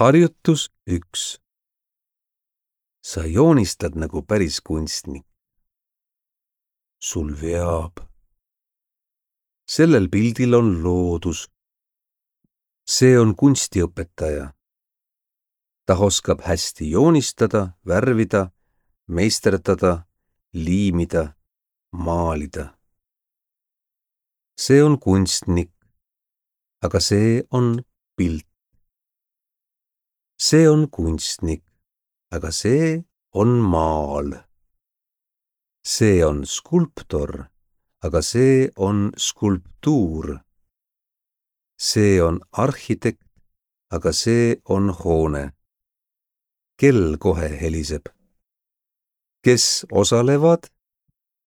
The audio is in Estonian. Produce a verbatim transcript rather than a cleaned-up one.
Harjutus üks. Sa joonistad nagu päris kunstnik. Sul veab. Sellel pildil on loodus. See on kunstiõpetaja. Ta oskab hästi joonistada, värvida, meisterdada, liimida, maalida. See on kunstnik, aga see on pilt. See on kunstnik, aga see on maal. See on skulptor, aga see on skulptuur. See on arhitekt, aga see on hoone. Kell kohe heliseb. Kes osalevad?